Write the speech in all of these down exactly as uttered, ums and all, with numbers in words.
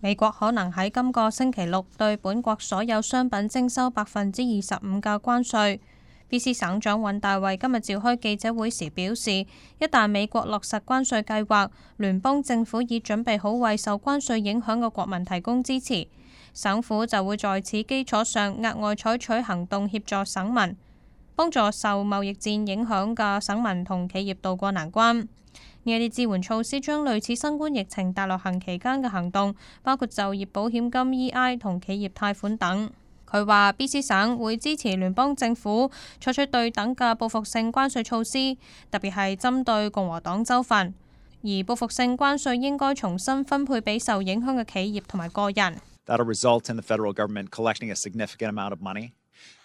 美國可能喺今個星期六對本國所有商品徵收百分之二十五嘅關稅。B C 省長尹大衛今日召開記者會時表示，一旦美國落實關稅計劃，聯邦政府已準備好為受關稅影響嘅國民提供支持，省府就會在此基礎上額外採取行動協助省民，幫助受貿易戰影響嘅省民同企業渡過難關。呢一啲支援措施將類似新冠疫情大流行期間嘅行動，包括就業保險金 E I 同企業貸款等。佢話 B C 省會支持聯邦政府採取對等嘅報復性關稅措施，特別係針對共和黨州份，而報復性關稅應該重新分配俾受影響嘅企業同埋個人。That'll result in the federal government collecting a significant amount of money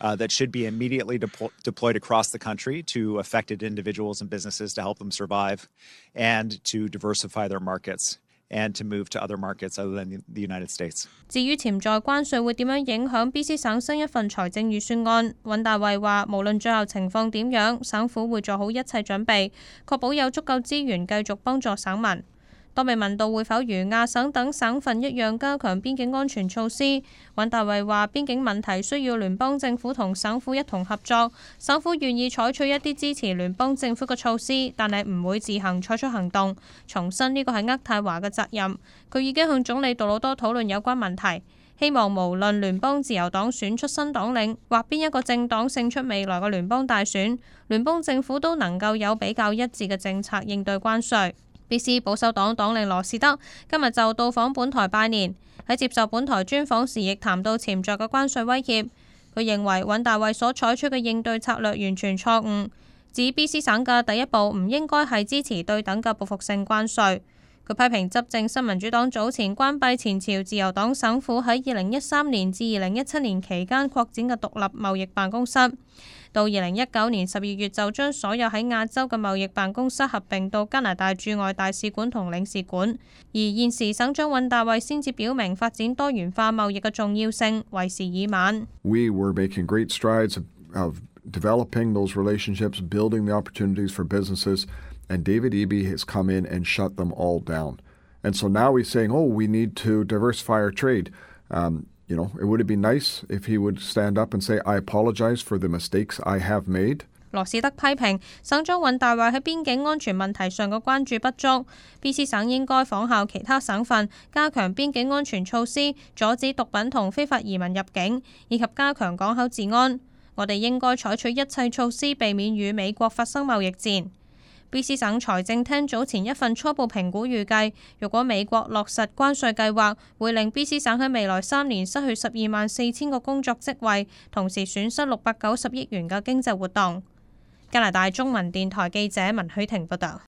Uh, that should be immediately deploy, deployed across the country to affected individuals and businesses to help them survive and to diversify their markets and to move to other markets other than the United States. 至於潛在關稅會點樣影響 B C 省新一份財政預算案，尹大衛話無論最後情況點樣，省府會做好一切準備，確保有足夠資源繼續幫助省民。當被問到會否如亞省等省份一樣加強邊境安全措施，尹大衛話邊境問題需要聯邦政府同省府一同合作，省府願意採取一啲支持聯邦政府嘅措施，但係唔會自行採取行動。重申呢個係渥太華嘅責任。佢已經向總理杜魯多討論有關問題，希望無論聯邦自由黨選出新黨領或邊一個政黨勝出未來嘅聯邦大選，聯邦政府都能夠有比較一致嘅政策應對關稅。B C 保守黨黨領羅士德今日就到訪本台拜年，喺接受本台專訪時亦談到潛在嘅關稅威脅。佢認為尹大衛所採取嘅應對策略完全錯誤，指 B C 省嘅第一步唔應該係支持對等嘅報復性關稅。佢批評執政新民主黨早前關閉前朝自由黨省府喺二零一三年至二零一七年期間擴展嘅獨立貿易辦公室，到二零一九年十二月就將所有喺亞洲嘅貿易辦公室合併到加拿大駐外大使館同領事館。而現時省長尹大衛先至表明發展多元化貿易嘅重要性，為時已晚。We were making great strides of, of developing those relationships, building the opportunities for businesses, and David Eby has come in and shut them all down. And so now he's saying, oh, we need to diversify our trade. Um, You know, it would be nice if he would stand up and say, I apologize for the mistakes I have made. 羅士德批評省長尹大衛喺邊境安全問題上嘅關注不足 ，B C 省應該仿效其他省份，加強邊境安全措施，阻止毒品同非法移民入境，以及加強港口治安。我哋應該採取一切措施，避免與美國發生貿易戰。B C 省財政廳早前一份初步評估預計，如果美國落實關稅計劃，會令 B C 省喺未來三年失去十二萬四千個工作職位，同時損失六百九十億元嘅經濟活動。加拿大中文電台記者文許婷報道。